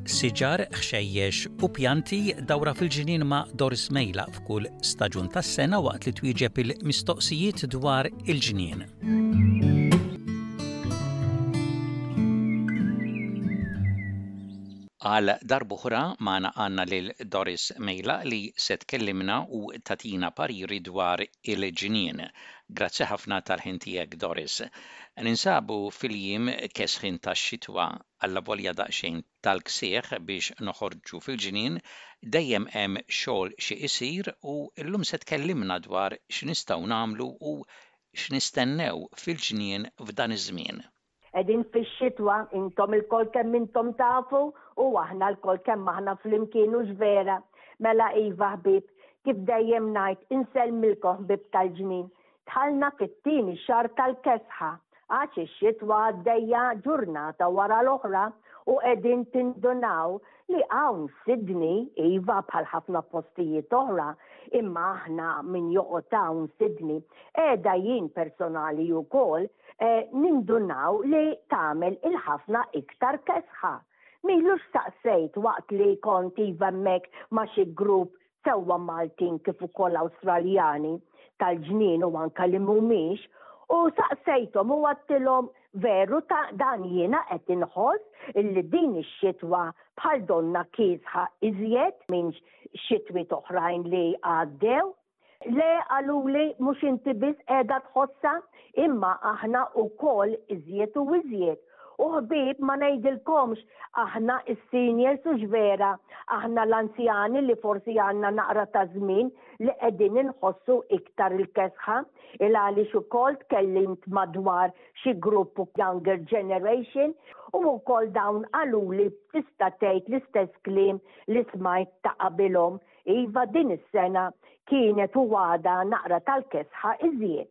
Siġar, ħxejjex u pjanti dawra fil-ġnien ma' Doris Mejla f'kull staġun tas-sena waqt li twieġeb il-mistoqsijiet dwar il-ġnien. Għal darb'oħra magħna għandna lil Doris Mejla li se tkellimna u tagħtina pariri dwar il-ġnien. Grazzi ħafna tal-ħin tiegħek Doris. Ninsabu fil-jiem kesħin tax-xitwa, allavolja daqsxejn tal-ksieħ biex noħorġu fil-ġnien, dejjem hemm xogħol xi isir u llum se tkellimna dwar x'nistgħu nagħmlu u x'nistennew fil-ġnien f'dan iż-żmien. Qegħdin fix-xitwa, intom ilkoll kemm intom tafu u aħna lkoll kemm aħna flimkien hux vera? Mela iva ħbieb, kif dejjem ngħid, insellmilkom ħbieb tal-ġnien. Dħalna fit-tieni xahar tal-kesħa, għax ix-xitwa għaddejja ġurnata wara l-oħra u qegħdin tindunaw li hawn Sydney, iva bħal ħafna postijiet oħra, imma aħna min joqgħod hawn Sydney, qiegħda jien personali wkoll, nindunaw li tagħmel il-ħafna iktar kesħa. M'ilux staqsejt waqt li kont iva hemmhekk ma' xi grupp sewwa Maltin kif ukoll Awstraljani tal-ġnien u anke li mhumiex, u saqsejthom u għadtilhom veru ta' dan jiena qed inħoss illi din ix-xitwa bħal donnha kiesħa iżjed minn xitwiet oħrajn li għaddew. Le, qaluli, mhux inti biss qiegħda tħossha, imma aħna wkoll iżjed u iżjed. U ħbieb ma ngħidilkomx aħna s-seniors hux vera, aħna l-anzjani li forsi għandna naqra ta' żmien li qegħdin inħossu iktar il-kesħa, il għaliex ukoll tkellimt madwar xi grupp younger generation u wkoll dawn qaluli tista' tgħid l-istess kliem li smajt ta' qabilhom. Iva din is-sena kienet u għadha naqra tal-kesħa iżjed.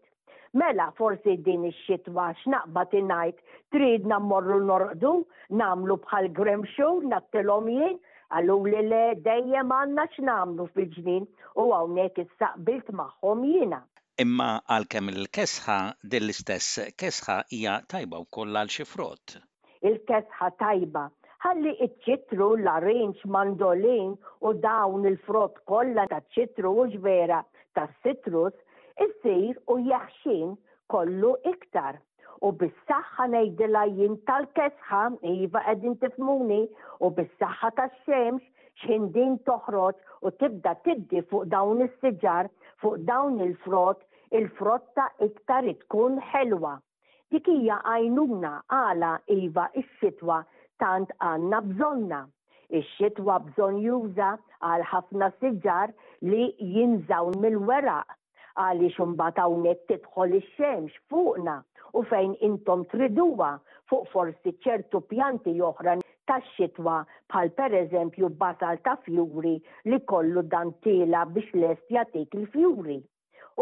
Mela forsi din ix-xitwa x'naqbad ingħid tridna mmorru norqdu, nagħmlu bħal Grimshaw ngħattilhom jien? Qaluli le dejjem għandna x'nagħmlu fil-ġnien u hawnhekk issa qbilt magħhom jiena. Imma għalkemm il-kesħa, din l-istess kesħa hija tajba wkoll għal xi frott. Il-kesħa tajba. Ħalli iċ-ċitru, larinġ, mandolin u dawn il-frott kollha taċ-ċitru hux vera tas-citrus isir u jeħxien kollu iktar. U bis-saħħa ngħidilha jien tal-kesħa, iva qegħdin tifhmuni, u bis-saħħa tax-xemx x'ħin din toħroġ u tibda tiddi fuq dawn is-siġar, fuq dawn il-frott, il-frotta iktar tkun ħelwa. Dik hija għajnuna għala iva x-xitwa tant għandna bżonnha. Ix-xitwa bżonnjuża għal ħafna siġar li jinżgħu mill-weraq għaliex imbagħad hawnhekk tidħol ix-xemx fuqna u fejn intom triduha fuq forsi ċertu pjanti oħra tax-xitwa bħal pereżempju basal ta' fjuri li kollu dan tiela' biex lest jagħtik il-fjuri.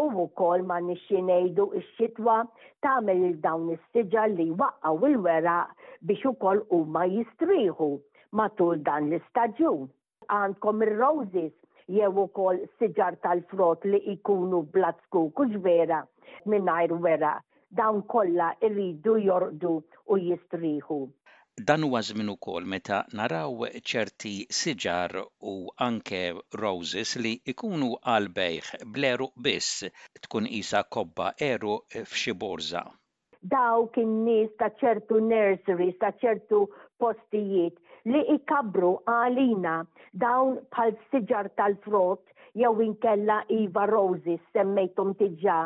U wkoll m'għandniex xi ngħidu x-xitwa tagħmel lil dawn is-siġar li jwaqqgħu il-weraq biex ukoll huma jistrieħu matul dan l-istaġun. Għandkom ir-roses jew ukoll siġar tal-frott li jkunu bla zkuk hux vera mingħajr weraq Dawn kollha jridu jorqdu u jistrieħu. Dan huwa żmien ukoll meta naraw ċerti siġar u anke roses li jkunu għall-bejgħ bl-għeruq biss, tkun qisha kobba għeruq f'xi borża. Dawk in-nies ta' ċertu nurseries, ta' ċertu postijiet li jkabbru għalina dawn bħal siġar tal-frott jew inkella iva roses semmejthom diġà,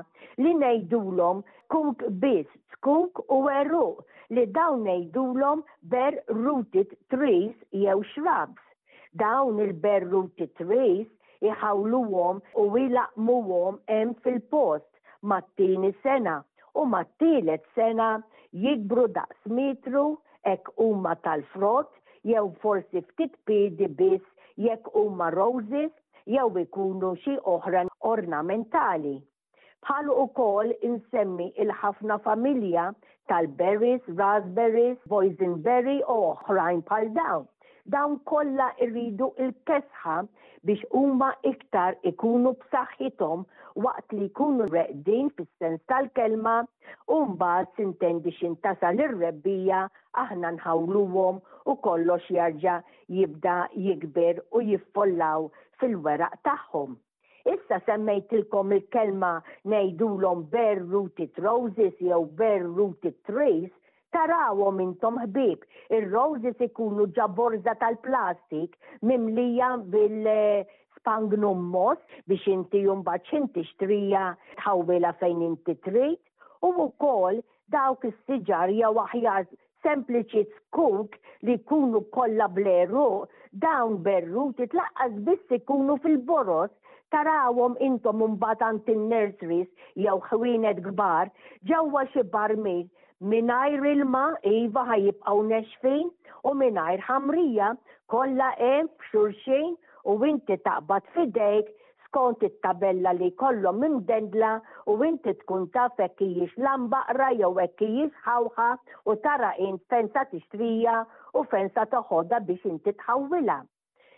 li ngħidulhom kuk biss, zkuk u għeruq, li dawn ngħidulhom bare rooted trees jew shrubs. Dawn il-bare rooted trees iħawluhom u ilaqqmuhom hemm fil-post mat-tieni sena u mat-tielet sena jikbru daqs metru hekk huma tal-frott jew forsi ftit piedi biss jekk huma roses jew ikunu xi oħra ornamentali. Bħalu ukoll insemmi il-ħafna familja tal-berries, raspberries, boysenberry u oħrajn bħal dawn. Dawn kollha jridu l-kesħa biex huma iktar ikunu b'saħħithom waqt li jkunu reqdin fis-sens tal-kelma u mbagħad sintendi x'in tasal ir-rebbiegħa aħna nħawluhom u kollox jarġa' jibda jikber u jiffollaw fil-weraq tagħhom. Issa semmejtilkom il-kelma ngħidulhom bare rooted roses jew bare rooted trees, tarawhom intom ħbieb, ir-roses ikunu ġa borża tal-plastik mimlija bil spangnum moss biex inti mbagħad x'in tixtrija tħawwilha fejn inti trid u wkoll dawk is-siġar jew aħjar sempliċi zkuk li jkunu kollha bl-għeruq, dawn berruti tlaqqas biss ikunu fil-boroż, tarawhom intom imbagħad għand in-nurseries jew ħwienet kbar, ġewwa xi barmil, mingħajr ilma, iva ħa jibqgħu nexfin, u mingħajr ħamrija, kollha hemm f'xulxin u inti taqbad f'idejk skont it-tabella li jkollhom imdendla u inti tkun taf hekk hijiex lambaqra jew hekk hijiex ħawħa u tara int fejn sa tixtrija u fejn sa toħodha biex inti tħawwilha.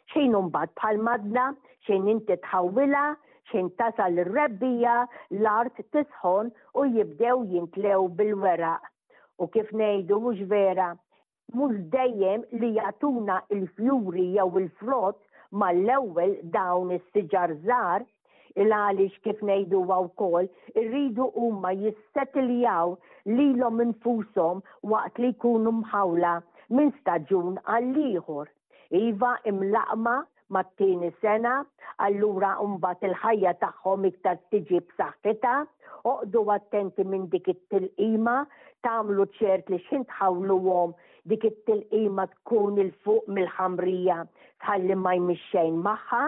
X'ħin imbagħad bħal madna, x'ħin inti tħawwilha, x'ħin tasal ir-rebbiegħa, l-art tisħon u jibdew jintlew bil-weraq. U kif ngħidu mhux vera, Mhux dejjem li jagħtuna l-fjuri jew il-frott mal-ewwel dawn is-siġar żgħar, il-għaliex kif ngħiduha wkoll irridu huma jissetiljaw lilhom infushom waqt li jkunu mħawla minn staġun għall-ieħor. Iva imlaqqma mat-tieni sena, allura mbagħad il-ħajja tagħhom iktar tiġi b'saħħitha. Oqgħdu attenti minn dik it-tilqima, tagħmlu ċert li x'ħin tħawluhom dik it-tilqima tkun 'il fuq mill-ħamrija tħalli ma jmiss xejn magħha.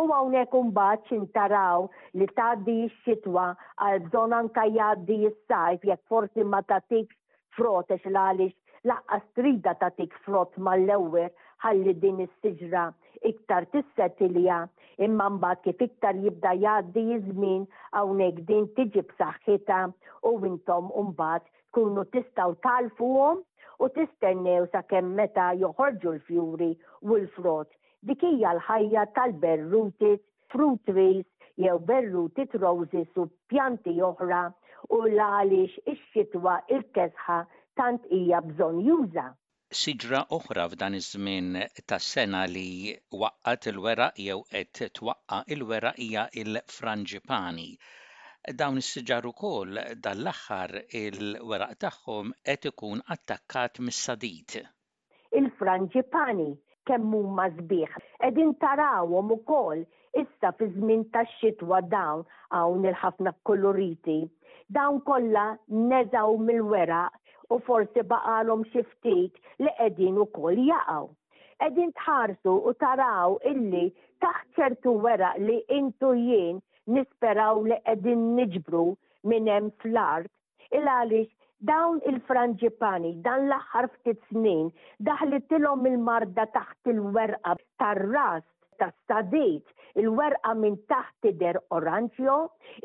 U hawnhekk imbagħad x'in taraw li tgħaddi x-xitwa għal bżonn anke jgħaddi s-sajf jekk forsi ma tagħtikx frott għax l-għaliex laqqas tridha tagħtik frott mal-ewwel ħalli din is-siġra iktar tissetilja imma mbagħad kif iktar jibda jgħaddi ż-żmien hawnhekk din tiġi b'saħħitha u intom mbagħad tkunu tistgħu tagħlfuhom u tistennew sakemm meta joħorġu l-fjuri u l-frott. Dik hija l-ħajja tal-berrutis fruit trees jew berrutit roses u pjanti oħra u l-għaliex ix-xitwa il-kesħa tant hija bżonnjuża. Siġra oħra f'dan iż-żmien tas-sena li waqqgħet il-weraq jew qed twaqqa' il-weraq hija l-franġipani. Dawn is-siġar ukoll dan l-aħħar il-weraq tagħhom qed ikun attakkat mis-sadid. Il-franġipani kemm huma sbieħ. Qegħdin tarawhom ukoll issa fi żmien tax-xitwa dawn hawn il-ħafna kkuluriti. Dawn kollha neżgħu mill-weraq u forsi baqgħalhom xi ftit li qegħdin ukoll jaqgħu. Qegħdin tħarsu u taraw illi taħt ċertu weraq li int u jien nisperaw li qegħdin niġbru minn hemm fl-art, Il għaliex dawn il-franġipani dan l-aħħar ftit snin daħlitilhom il-marda taħt il-werqa tar-ras tas-sadid, il-werqa minn taħt tidher oranġjo,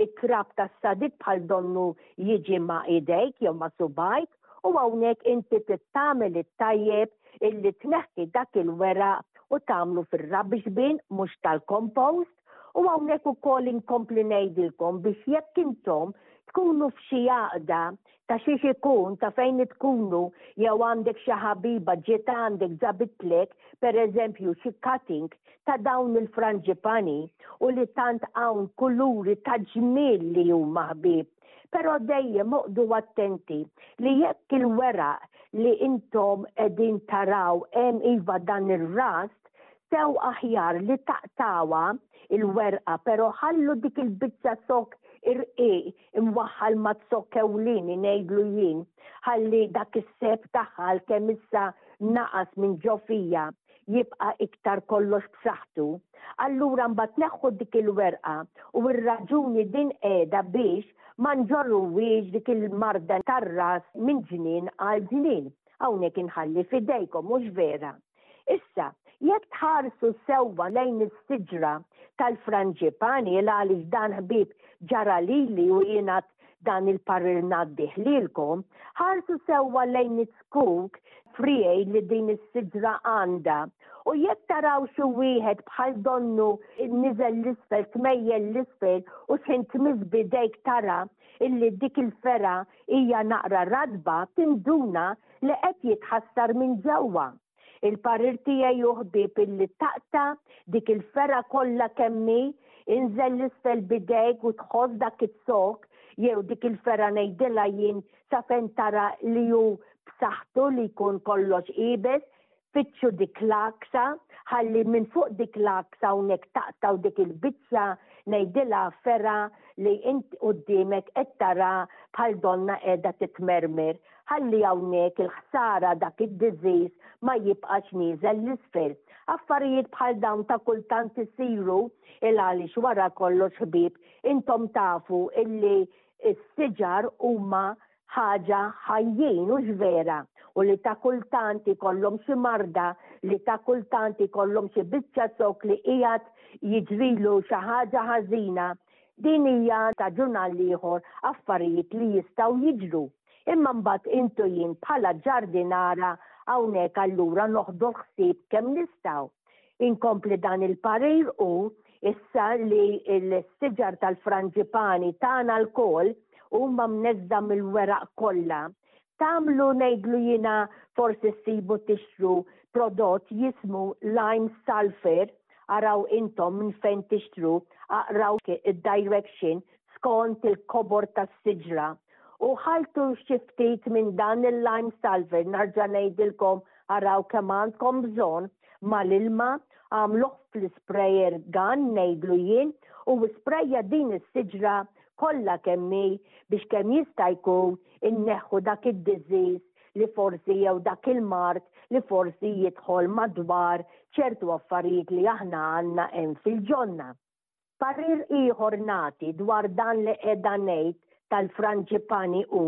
it-trab tas-sadid bħal donnu jiġi ma' idejk jew ma' subgħajk u hawnhekk inti trid tagħmel it-tajjeb illi tneħħi dak il-weraq u tagħmlu fir-rubbish bin mhux tal-compost U hawnhekk ukoll inkompli ngħidilkom biex jekk intom tkunu f'xi għaqda ta' xiex ikun ta' fejn tkunu jew għandek xi ħabiba ġiet għandek ġabitlek pereżempju xi cutting ta' dawn il-franġipani u li tant hawn kuluri ta' ġmiel li huma ħbieb. Però dejjem oqgħdu attenti li jekk il-weraq li intom qegħdin taraw hemm iva dan ir-rast Sew aħjar li taqtgħuha il-werqa pero ħallu dik il-biċċa zokk irqiq imwaħħal maz-zokk ewlieni ngħidlu jien ħalli dak is-seb tagħha għalkemm issa naqas minn ġo fija jibqa' iktar kollox b'saħħtu. Allura mbagħad neħħu dik il-werqa u r-raġuni din qiegħda biex ma nġorruhiex dik il-marda tar-ras minn ġnien għal ġnien. Hawnhekk inħalli f'idejkom mhux vera? Issa, jekk tħarsu sewwa lejn is-siġra tal-franġipani, il għaliex dan ħbieb ġara lili u jien għad dan il-parir ngħaddih lilkom, ħarsu sewwa lejn iz-zkuk friegħi li din is-siġra għandha u jekk taraw xi wieħed bħal donnu niżel 'l isfel, tmejjel 'l isfel u x'ħin tmiss b'idejk tara illi dik il-fergħa hija naqra ratba, tinduna li qed jitħassar minn ġewwa. Il-parir tiegħi hu ħbieb illi taqta' dik il-fergħa kollha kemm hi, inżel 'l isfel b'idejk u tħoss dak iz-zokk jew dik il-fergħa ngħidilha jien sa fejn tara li hu b'saħħtu li jkun kollox iebes, fittxu dik l-għaksa, ħalli minn fuq dik l-għaksa hawnhekk taqtgħu dik il-biċċa ngħidilha fergħa li int quddiemek qed tara bħal donnha qiegħda titmermer, ħalli hawnhekk il-ħsara dak id-disease ma jibqax nieżel 'l isfel. Affarijiet bħal dawn ta' kultant isiru il għaliex wara kollox ħbieb intom tafu illi Is-siġar huma ħaġa ħajjin, hux vera? U li ta' kultant ikollhom xi marda, li ta' kultant ikollhom xi biċċa zokk li qiegħed jiġrilu xi ħaġa ħażina. Din hija ta' ġun għall-ieħor affarijiet li jistgħu jiġru. Imma mbagħad int u jien bħala ġardinara hawnhekk allura noħdu l-ħsieb kemm nistgħu. Inkompli dan il-parir hu issa li l-siġar tal-franġipani tagħna lkoll huma mneżża' mill-weraq kollha. Tagħmlu ngħidlu jiena forsi ssibu tixtru prodott jismu lime sulphur, araw intom minn fejn tixtru, aqraw id-direction skont il-kobor tas-siġra u ħalltu xi ftit minn dan il-lime sulphur, narġa' ngħidilkom araw kemm għandkom bżonn, mal-ilma, għamluh fl-isprayer gun ngħidlu jien u isprejja din is-siġra kollha kemm hi biex kemm jista' jkun inneħħu dak id-disease li forsi jew dak il-mard li forsi jidħol madwar ċertu affarijiet li aħna għandna hemm fil-ġonna. Parir ieħor nagħti dwar dan li qiegħda ngħid tal-franġipani hu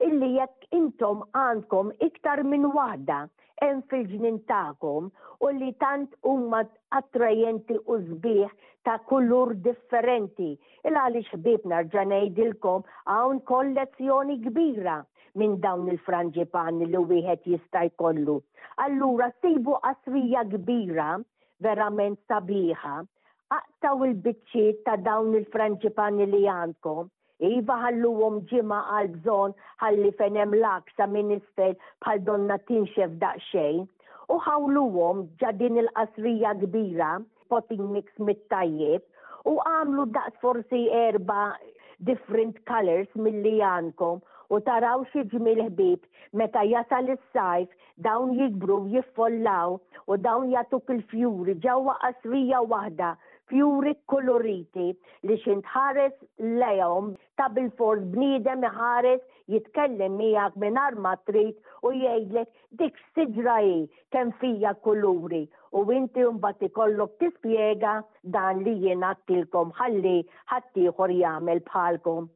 illi jekk intom għandkom iktar minn waħda hemm fil-ġnien tagħkom u li tant huma attrajenti u sbieħ ta' kulur differenti il għaliex ħbieb nerġa' ngħidilkom hawn kollezzjoni kbira minn dawn il-franġipani li wieħed jista' jkollu. Allura sibu qasrija kbira verament sabiħa Aqtgħu l-biċċiet ta' dawn il-franġipani li għandkom. Iva ħalluhom ġimgħa għall-bżonn ħalli fejn hemm l-għaksa minn isfel bħal donnha tinxef daqsxejn. U ħawluhom ġa din il-qasrija kbira, potting mix mit-tajjeb, u agħmlu daqs forsi erba' different colours milli għandkom u taraw xi ġmiel ħbieb meta jasal is-sajf Dawn jikbru u jiffollaw u dawn jagħtuk il-fjuri ġewwa qasrija waħda, fjuri kkuluriti li x'int tħares lejhom ta' bilfors bniedem iħares jitkellem miegħek mingħajr ma trid u jgħidlek dik x'siġra hi kemm fija kuluri u inti mbagħad ikollok tispjega dan li jien għedtilkom ħalli ħaddieħor jagħmel bħalkom.